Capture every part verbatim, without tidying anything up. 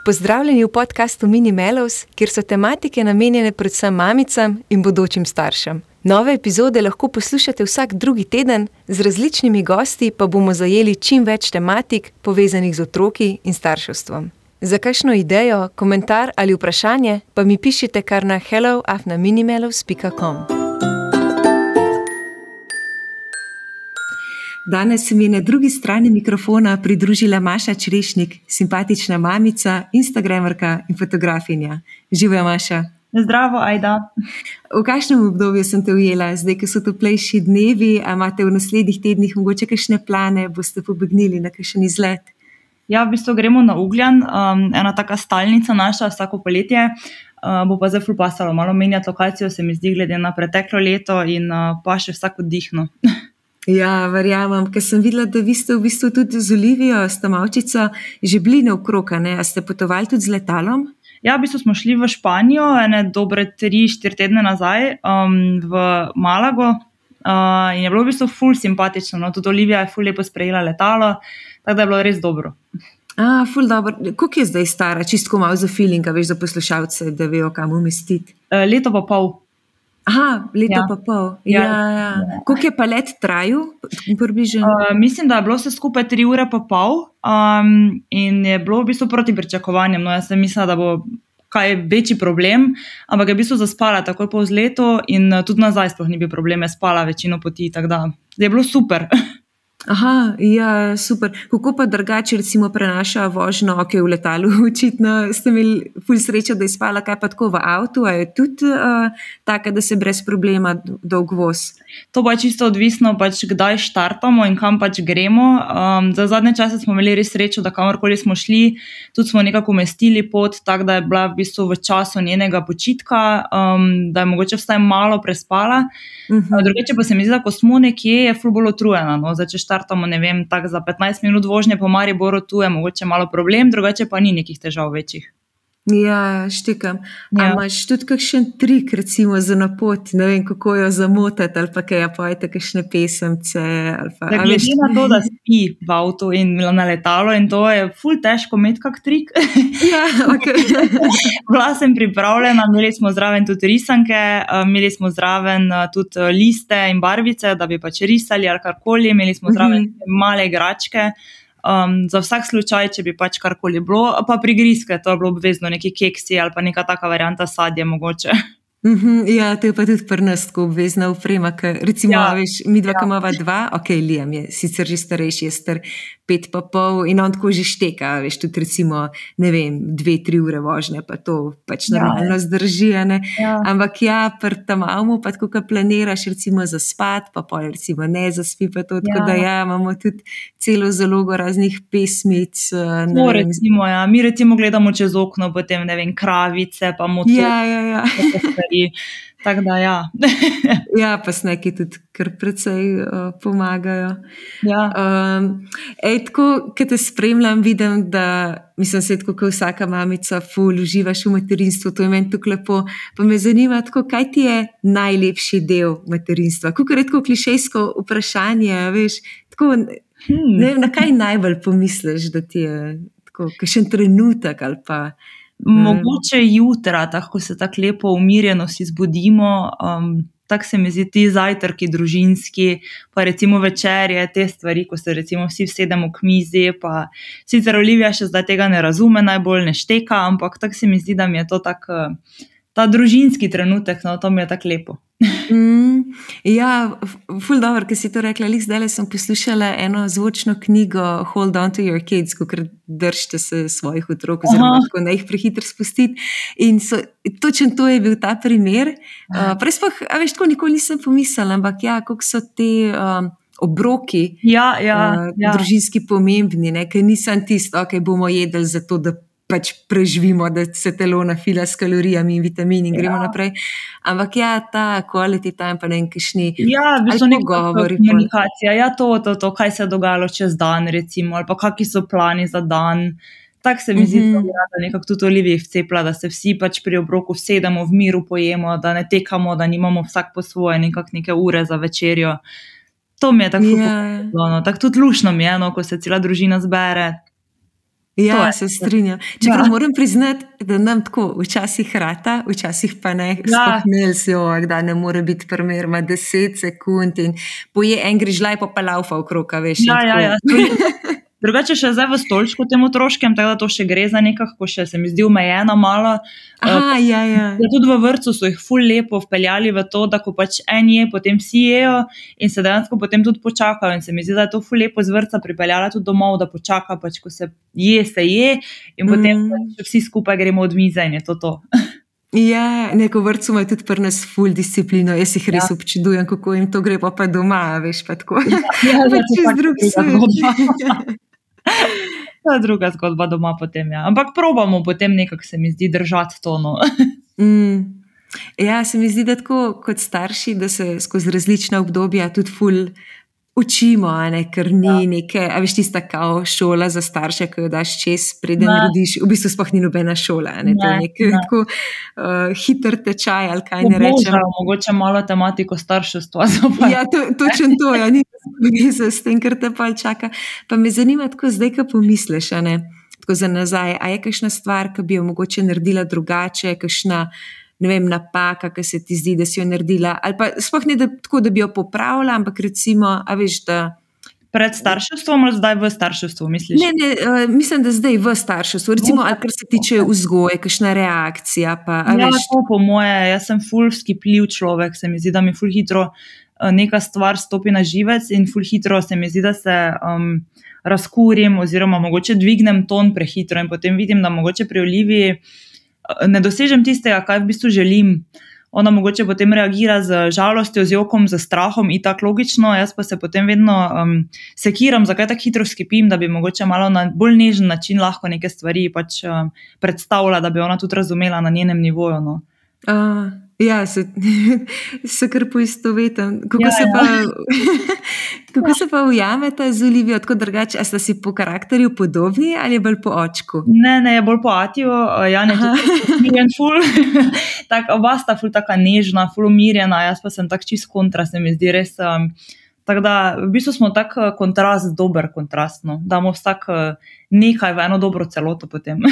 Pozdravljeni v podkastu Mini Mellows, kjer so tematike namenjene predvsem mamicam in bodočim staršem. Nove epizode lahko poslušate vsak drugi teden, z različnimi gosti pa bomo zajeli čim več tematik, povezanih z otroki in starševstvom. Za kakšno idejo, komentar ali vprašanje pa mi pišite kar na hello afna minimellows pika com. Danes se mi je na drugi strani mikrofona pridružila Maša Črešnik, simpatična mamica, instagramerka in fotografinja. Živijo, Maša. Zdravo, Ajda. V kakšnem obdobju sem te ujela? Zdaj, ko so toplejši dnevi, a imate v naslednjih tednih mogoče kakšne plane, boste pobegnili na kakšen izlet? Ja, v bistvu gremo na Ugljan, um, ena taka stalnica naša vsako poletje. Uh, bo pa zdaj ful pasalo, malo menjati lokacijo, se mi zdi, glede na preteklo leto in uh, pa še vsak oddihno. Ja, verjamem, ker sem videla, da vi ste v bistvu tudi z Olivijo, s Tamavčico, že bili naokrog, ne? A ste potovali tudi z letalom? Ja, v bistvu smo šli v Španijo, ene dobre tri, štiri tedne nazaj, um, v Malago uh, in je bilo v bistvu ful simpatično, no? Tudi Olivija je ful lepo sprejela letalo, tako da je bilo res dobro. A, ful dobro. Koliko je zdaj stara? Čisto malo za feeling, a veš, za poslušalce, da vejo, kam umestiti. Uh, leto pa pol. Aha, leto Ja. pa pol. Ja. Ja, ja. Koliko je pa let trajal? Približno? Uh, mislim, da je bilo vse skupaj tri ure pa pol um, in je bilo v bistvu proti pričakovanjem. No, jaz sem mislila, da bo kaj večji problem, ampak je v bistvu zaspala takoj po vzletu in uh, tudi nazaj sploh ni bil problem, je spala večino poti, tako da je bilo super. Aha, ja, super. Kako pa drugače recimo prenaša vožnjo, ok, v letalu, očitno ste imeli ful srečo, da je spala, kaj pa tako v avtu, a je tudi uh, taka, da se brez problema dolg voz? To pa je čisto odvisno, pač kdaj štartamo in kam pač gremo. Um, za zadnje čase smo imeli res srečo, da kamorkoli smo šli, tudi smo nekako umestili pot, tako da je bila v bistvu v času njenega počitka, um, da je mogoče vsaj malo prespala. Uh-huh. Drugače pa se mi zdi, da ko smo nekje, je ful bolj utrujena. No? Zdaj, če štartamo, ne vem, tak za petnajst minut vožnje po Mariboru, tu je mogoče malo problem, drugače pa ni nekih težav večjih. Ja, štekam. A Ja. imaš tudi kakšen trik, recimo za napot, ne vem, kako jo zamotati, ali pa kaj, ja, pojete kakšne pesemce, ali pa... Da, a glede veš- na to, da spi v avtu in na letalo in to je ful težko imeti kak trik. Ja, ok. Bila sem pripravljena, imeli smo zraven tudi risanke, uh, imeli smo zraven uh, tudi uh, liste in barvice, da bi pač risali ali karkoli, imeli smo zraven Mhm. male igračke, um, za vsak slučaj, če bi pač karkoli bilo, pa prigrizke, to je bilo obvezno, neki keksi ali pa neka taka varianta sadje mogoče. Mhm, ja, to je pa tudi pri nas tako obvezna oprema, ker recimo, Ja, a veš, mi dva, ja. ki imava dva, ok, Liam je sicer že starejši, je star pet pa pol in on tako že šteka, a veš, tudi recimo, ne vem, dve, tri ure vožnje, pa to pač Ja. normalno zdrži, a ne. Ja. Ampak ja, pri Tamavmu pa tako, ko planiraš recimo za spat, pa pol recimo ne zaspi pa to, tako Ja. da ja, imamo tudi celo zalogo raznih pesmic, eh, ne To vem. recimo, ja. Mi recimo gledamo čez okno, potem ne vem, kravice, pa motor. Ja, ja, ja. Tako da ja. Ja, pa sneki tudi kar precej uh, pomagajo. Ja. Um, ej, tako, ko te spremljam, vidim, da, mislim, se tako, kot vsaka mamica, ful uživaš v materinstvu, to je meni tako lepo. Pa me zanima, tako, kaj ti je najlepši del materinstva? Kako redko klišejsko vprašanje, veš, tako, Hmm. ne vem, na kaj najbolj pomisliš, da ti je tako, kakšen trenutek ali pa... Mogoče jutra, tako ko se tako lepo umirjeno si zbudimo, um, tako se mi zdi ti zajtrki družinski, pa recimo večerje, te stvari, ko se recimo vsi vsedemo k mizi, pa sicer Olivija še zdaj tega ne razume, najbolj ne šteka, ampak tako se mi zdi, da mi je to tak, ta družinski trenutek, no, to mi je tako lepo. Mm, ja, f- ful dobro, ker si to rekla. Lih zdajle sem poslušala eno zvočno knjigo Hold on to your kids, kakor držite se svojih otrok, oziroma Aha. tako ne jih prehitro spustiti. In so, točen to je bil ta primer. Uh, prej sploh, a veš, tako nikoli nisem pomislila, ampak ja, koliko so te um, obroki Ja, ja, uh, ja. družinski pomembni, ne? Ker nisem tisto, ok, bomo jedli zato, da pač preživimo, da se telo nafila s kalorijami in vitamini in gremo Ja. naprej. Ampak ja, ta quality time pa ne vem, kakšni Ja, v bistvu ali neka pogovori. pol. komunikacija, ja, to, to, to, kaj se je dogajalo čez dan, recimo, ali pa kakšni so plani za dan. Tako se mi zdi, Mhm. da bi rada nekako tudi Oliviji vcepila, da se vsi pač pri obroku vsedemo, v miru pojemo, da ne tekamo, da nimamo vsak po svoje nekak neke ure za večerjo. To mi je tako Ja. pomembno, no. Tako tudi luštno mi je, no, ko se cela družina zbere. Ja, je. se strinjam. Čeprav Ja. moram priznati, da nam tako včasih rata, včasih pa ne. Ja. Sploh Nelsio, da ne more biti primer, ima deset sekund in poje en grižljaj, pa pa laufa okrog, a veš. in Ja, ja, tako. ja. To je- Drugače še zdaj v stolčku tem otroškem, tako da to še gre za nekako, še se mi zdi omejena malo. Aha, ja, ja. Ja, tudi v vrtcu so jih ful lepo vpeljali v to, da ko pač en je, potem vsi jejo in se dejansko potem tudi počakajo. In se mi zdi, da je to ful lepo z vrtca pripeljala tudi domov, da počaka, pač ko se je, se je in potem Mm. pač vsi skupaj gremo od mize in je to to. Ja, neko vrtcu ima tudi pri nas ful disciplino. Jaz jih res Ja. občudujem, kako jim to gre, pa pa doma, a veš, pa tako. Ja, Pa to je čez pač drug druga svet. zgodba. To je druga zgodba doma potem, ja. Ampak probamo potem nekako, se mi zdi, držati to, no. Mm. Ja, se mi zdi, da tako kot starši, da se skozi različna obdobja tudi ful učimo, a ne, ker ni Ja. neke, a veš, tista kao šola za starše, ki jo daš čez, preden Ne. rodiš, v bistvu sploh ni nobena šola, a ne, to je Ne, nek ne. tako uh, hiter tečaj, ali kaj ne rečem. Obožajo mogoče malo tematiko starševstva. zopet. Ja, to, točno to, ja, ni veze s tem, kar te pa čaka. Pa me zanima tako zdaj, ko pomisliš, a ne, tako za nazaj, a je kakšna stvar, ki bi jo mogoče naredila drugače, kakšna, ne vem, napaka, ki se ti zdi, da si jo naredila, ali pa sploh ne da, tako, da bi jo popravila, ampak recimo, a veš, da... Pred starševstvom ali zdaj v starševstvu, misliš? Ne, ne, uh, mislim, da zdaj v starševstvu, recimo, ali kar se tiče vzgoje, kakšna reakcija, pa, a Ja, veš... to po moje, jaz sem ful skipljiv človek, se mi zdi, da mi ful hitro eh, neka stvar stopi na živec in ful hitro se mi zdi, da se um, razkurim oziroma mogoče dvignem ton prehitro in potem vidim, da mogoče pri Oliviji eh, ne dosežem tistega, kaj v bistvu želim. Ona mogoče potem reagira z žalostjo, z jokom, z strahom in tako logično, jaz pa se potem vedno um, sekiram, zakaj tako hitro skipim, da bi mogoče malo na bolj nežen način lahko neke stvari pač um, predstavila, da bi ona tudi razumela na njenem nivoju. No. Uh, ja, se, se kar poistovetim. Kako, Ja, se ja. pa, kako se pa ujameta z Olivijo, tako drugače, a sta si po karakterju podobni ali je bolj po očku? Ne, ne, je bolj po Atiju, eh, Jan je Aha. tudi umirjen ful, tak, oba sta ful taka nežna, ful umirjena, jaz pa sem tak čist kontra, se mi zdi res. Um, tako da v bistvu smo tak eh, kontrast, dober kontrast, no. Damo vsak eh, nekaj v eno dobro celoto potem.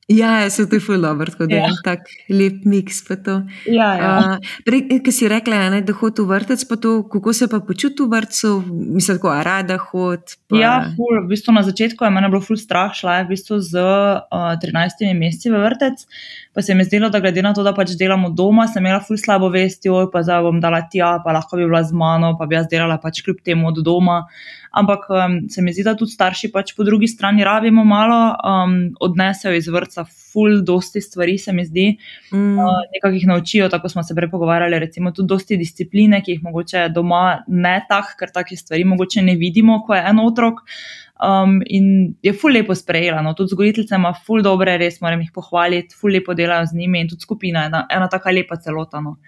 Ja, se to je ful dobro, tako da je Ja. en tak lep miks pa to. Ja, ja. Uh, prej, ki si rekla, a ne, da hod v vrtec, pa to, kako se pa počuti v vrtcu, mislim, tako, a rada hod? Pa... Ja, ful, v bistvu na začetku je mene bilo ful strah, šla je v bistvu z uh, trinajstimi meseci v vrtec, pa se mi je zdelo, da glede na to, da pač delamo doma, sem imela ful slabo vest, joj, pa zdaj bom dala tja, pa lahko bi bila z mano, pa bi jaz delala pač kljub temu od doma. Ampak um, se mi zdi, da tudi starši pač po drugi strani rabimo malo, um, odnesejo iz vrtca ful dosti stvari, se mi zdi, Mm. uh, nekako jih naučijo, tako smo se prej pogovarjali, recimo tudi dosti discipline, ki jih mogoče doma ne tak, ker takih stvari mogoče ne vidimo, ko je en otrok. Um, in je ful lepo sprejela, no, tudi vzgojiteljica ima ful dobre, res moram jih pohvaliti, ful lepo delajo z njimi in tudi skupina je ena, ena taka lepa celota. No.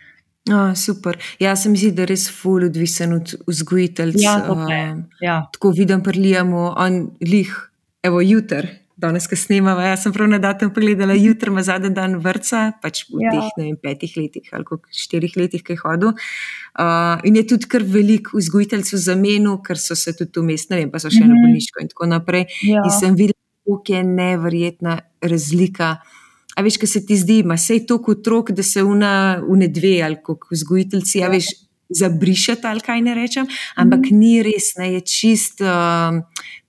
Oh, super. Ja, se mi zdi, da je res ful odvisen od vzgojiteljc. Ja, to pa je. Um, Ja. tako vidim pri Liamu, on lih, evo, jutr, danes, ko snemava, jaz sem prav na datum pogledala, jutr ima zadnji dan vrtca, pač v Ja. teh, ne vem, petih letih ali koliko, štirih letih, ki je hodil. Uh, in je tudi kar veliko vzgojiteljcev zamenil, ker so se tudi vmes, ne vem, pa so še Mhm. na bolniško in tako naprej. Ja. In sem videla, koliko je neverjetna razlika. A veš, ko se ti zdi, ima sej toliko otrok, da se una, une dve ali koliko vzgojiteljci, a veš, zabrišeta ali kaj ne rečem, ampak Mhm. ni res, ne, je čist, um,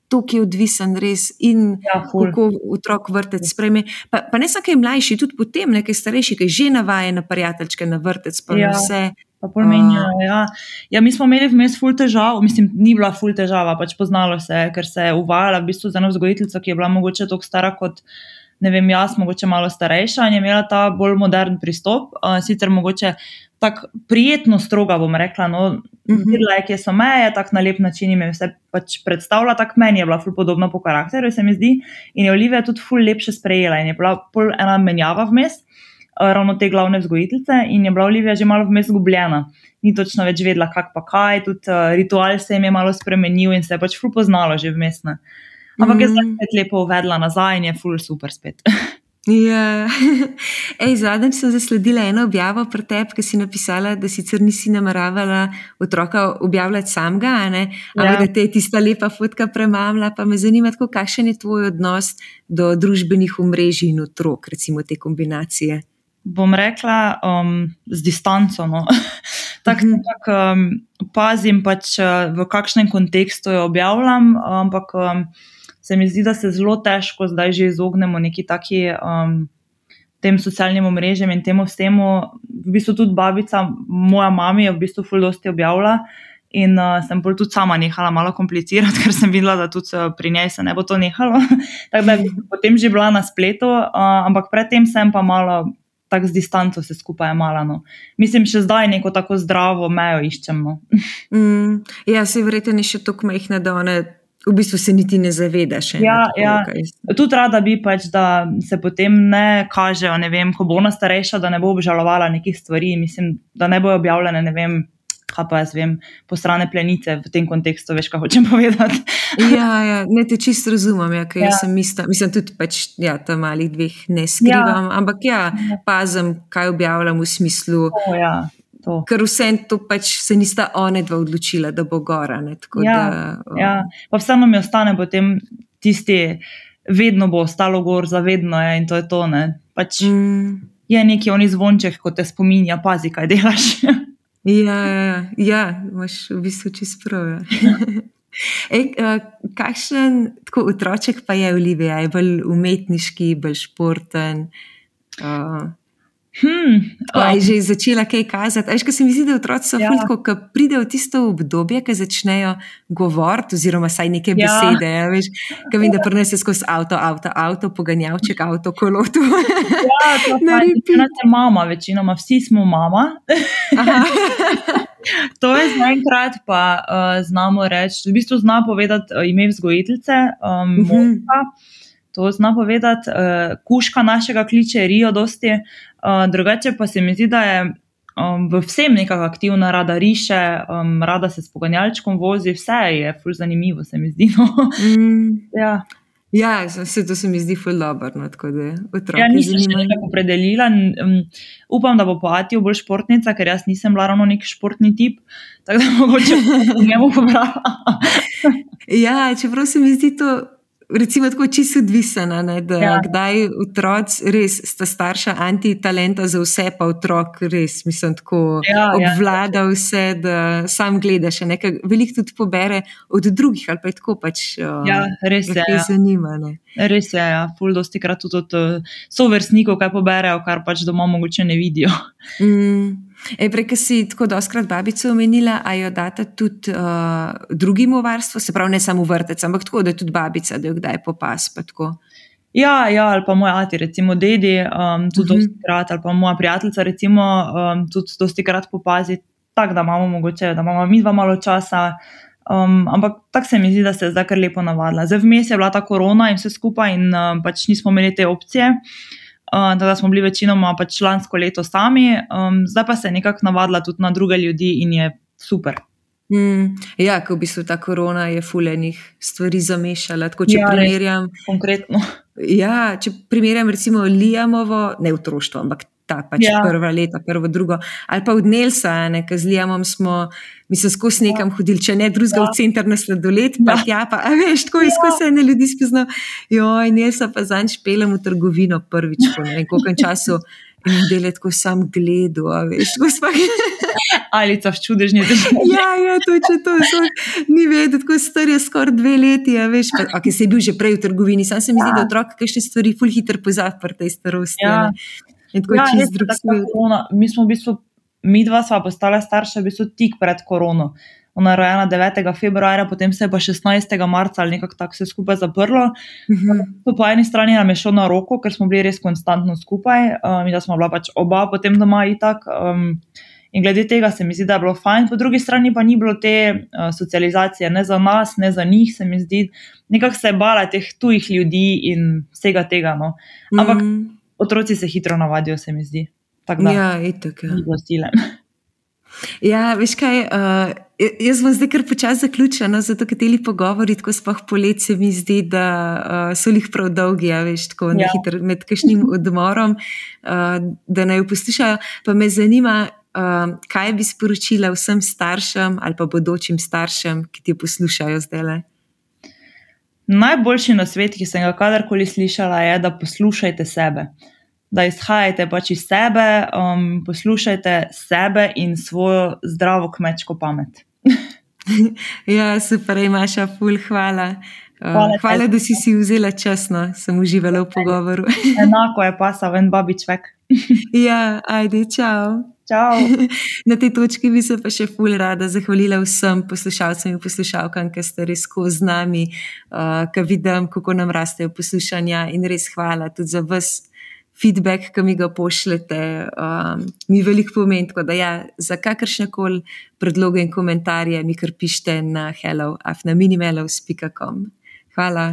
toliko je odvisen res in Ja, ful. kako otrok vrtec sprejme. Pa, pa ne samo kaj mlajši, tudi potem nekaj starejši, ki že navaja na prijateljčke, na vrtec, pa Ja. na vse. Pa pol menjajo, ja. Ja, mi smo imeli vmes ful težav, mislim, ni bila ful težava, pač poznalo se je, ker se je uvajala v bistvu z eno vzgojiteljico, ki je bila mogoče toliko stara kot, ne vem, jaz, mogoče malo starejša in je imela ta bolj modern pristop, uh, sicer mogoče tako prijetno stroga, bom rekla, no, Mhm. videla je, kje so meje, tako na lep način jim je vse pač predstavila, tako meni je bila ful podobna po karakterju, se mi zdi, in je Olivija tudi ful lepše sprejela in je bila pol ena menjava vmes, uh, ravno te glavne vzgojiteljice in je bila Olivija že malo vmes zgubljena. Ni točno več vedela, kak pa kaj, tudi uh, ritual se jim je malo spremenil in se je pač ful poznalo že vmes. Ne. Ampak je zdaj Mhm. spet lepo uvedla nazaj in je ful super spet. Ja, ej, zadnjič sem zasledila eno objavo pri tebi, ki si napisala, da sicer nisi nameravala otroka objavljati samega, a ne, ampak Ja. da te je tista lepa fotka premamla, pa me zanima tako, kakšen je tvoj odnos do družbenih omrežij in otrok, recimo te kombinacije. Bom rekla, um, z distanco. No. Tako Mhm. nekako um, pazim, pač, uh, v kakšnem kontekstu jo objavljam, ampak um, se mi zdi, da se zelo težko zdaj že izognemo neki taki um, tem socialnim omrežjem in temu vsemu. V bistvu tudi babica, moja mami je v bistvu ful dosti objavila in uh, sem bolj tudi sama nehala malo komplicirati, ker sem videla, da tudi uh, pri njej se ne bo to nehalo. Tako da je potem že bila na spletu, uh, ampak predtem sem pa malo tako z distanco se skupaj jemala. No. Mislim, še zdaj neko tako zdravo mejo iščem. No. Mm, ja, se verjetno je še toliko majhna, da ona v bistvu se niti ne zaveda še. Ja, ne, ja. tako, kaj- Tudi rada bi pač, da se potem ne kažejo, ne vem, ko bo ona starejša, da ne bo obžalovala nekih stvari, mislim, da ne bojo objavljene, ne vem, kaj pa jaz vem, posrane plenice v tem kontekstu, veš, kaj hočem povedati. Ja, ja, ne te čisto razumem, ja, ker Ja. jaz sem ista, mislim tudi pač, ja, ta malih dveh ne skrivam, ampak ja, pazim, kaj objavljam v smislu, O, ja, to. ker vse to pač se nista one dva odločila, da bo gora, ne, tako Ja, da... ja, pa vseeno mi ostane potem tisti, vedno bo ostalo gor, zavedno je in to je to, ne. Pač Mm, je neki oni zvonček, ko te spominja, pazi, kaj delaš. ja, ja, ja, imaš v bistvu čisto prav, ja. Ej, uh, kakšen tako otroček pa je Olivija? Je bolj umetniški, bolj športen? Uh, Hmm, Tako, a je že začela kaj kazati? Veš, ko se mi zdi, da otroci so Ja. ful tako, ko pridejo v tisto obdobje, ko začnejo govoriti, oziroma saj neke Ja. besede, ja, veš, ko vem, da prinese skozi avto, avto, avto, poganjavček, avto, kolo, to. ja, to Na pa repeat. večina je mama, večinoma vsi smo mama. Aha. To je zaenkrat, pa uh, znamo reči, v bistvu zna povedati uh, ime vzgojiteljice, um, Mhm. Monika, to zna povedati, uh, kuška našega kliče Rio dosti, uh, drugače pa se mi zdi, da je um, v vsem nekako aktivna, rada riše, um, rada se s poganjalčkom vozi, vse je ful zanimivo, se mi zdi. No. Mm, Ja. ja, se, to se mi zdi ful dobro, no, tako da otroke Ja, nisem še zanima. nekako opredelila. Um, upam, da bo po Atiju bolj športnica, ker jaz nisem bila ravno nek športni tip, tako da mogoče bom njemu pobrala. Ja, čeprav se mi zdi to recimo tako čisto odvisno, ne, da Ja. kdaj otroci res sta starša antitalenta za vse, pa otrok res, mislim, tako Ja, ja. obvlada vse, da sam gledaš, ne, ker veliko tudi pobere od drugih, ali pa je tako pač, uh, Ja, res je. lahko jih Ja. zanima, ne. Res je, ja. Ful dosti krat tudi od uh, sovrstnikov, kaj poberejo, kar pač doma mogoče ne vidijo. Mm. Ej, prej, ko si tako doskrat babico omenila, a jo data tudi uh, drugim v varstvo, se pravi ne samo v vrtec, ampak tako, da je tudi babica, da jo kdaj popas, pa tako. Ja, ja, ali pa moj ati, recimo dedi, um, tudi Mhm. dosti krat, ali pa moja prijateljica, recimo, um, tudi dosti krat popazi, tako da imamo mogoče, da imamo mi dva malo časa. Um, ampak tako se mi zdi, da se je zdaj kar lepo navadila. Zdaj vmes je bila ta korona in vse skupaj in um, pač nismo imeli te opcije. Uh, da smo bili večinoma pač lansko leto sami, um, zdaj pa se je nekako navadila tudi na druge ljudi in je super. Mm, ja, ko v bistvu ta korona je fulejnih stvari zamešala. Tako, če Ja, res. primerjam, Konkretno. ja, če primerjam recimo Liamovo, ne otroštvo, ampak ta pač Ja. prva leta, prvo, drugo, ali pa od Nelsa, ne, ker z Liamom smo, mislim, skozi nekam hodili, če ne drugega Ja. v center na sladoled, pa Ja. tja, pa, a veš, tako je skozi ene ljudi spoznal. Joj, Nelsa pa zanj špelem v trgovino prvič, po ne vem koliko času, in dele tako sam gledu, a veš, tako spak. Alica v čudežni državi. Ja, ja, to je to, to ni vedeti, tako star je skoraj dve leti, a veš, pa, okay, se je bil že prej v trgovini, sam se mi zdi, Ja. da otrok kakšne stvari ful hitro pozabi pri tej starosti. Ja. a ne. In tako Ja, čist res je, drug tako svet. korona. Mi smo v bistvu, mi dva sva postala starša v bistvu tik pred korono. Ona je rojena devetega februarja, potem se je pa šestnajstega marca ali nekako tako vse skupaj zaprlo. Mhm. To po eni strani nam je šlo na roko, ker smo bili res konstantno skupaj, um, in da smo bila pač oba potem doma itak. Um, in glede tega se mi zdi, da je bilo fajn, po drugi strani pa ni bilo te uh, socializacije, ne za nas, ne za njih, se mi zdi. Nekako se je bala teh tujih ljudi in vsega tega. No. Ampak Mm, otroci se hitro navadijo, se mi zdi. Tako da, ja, itak, ja. ni bilo sile. Ja, veš kaj, uh, jaz bom zdaj kar počasi zaključila, no, zato ker teli pogovori, tako sploh polet se mi zdi, da uh, so lih prav dolgi, ja, veš, tako ja. Nehiter med kakšnim odmorom, uh, da naj jo poslušajo. Pa me zanima, uh, kaj bi sporočila vsem staršem ali pa bodočim staršem, ki ti jo poslušajo zdajle? Najboljši nasvet, ki sem ga kadarkoli slišala, je, da poslušajte sebe. Da izhajate pač iz sebe, um, poslušajte sebe in svojo zdravo kmečko pamet. Ja, super, Maša, ful, hvala. Hvala, uh, hvala da si si vzela čas, no, sem uživala v pogovoru. Enako je pasal en babičvek. Ja, ajde, čau. Čau. Na tej točki bi se pa še ful rada zahvalila vsem poslušalcem in poslušalkam, ki ste res skozi z nami, uh, ki vidim, kako nam rastejo poslušanja in res hvala tudi za vas. Feedback, ki mi ga pošljete, um, mi veliko pomeni, tako da ja, za kakršnekoli predloge in komentarje mi kar pišite na hello at minimelos pika com. Hvala.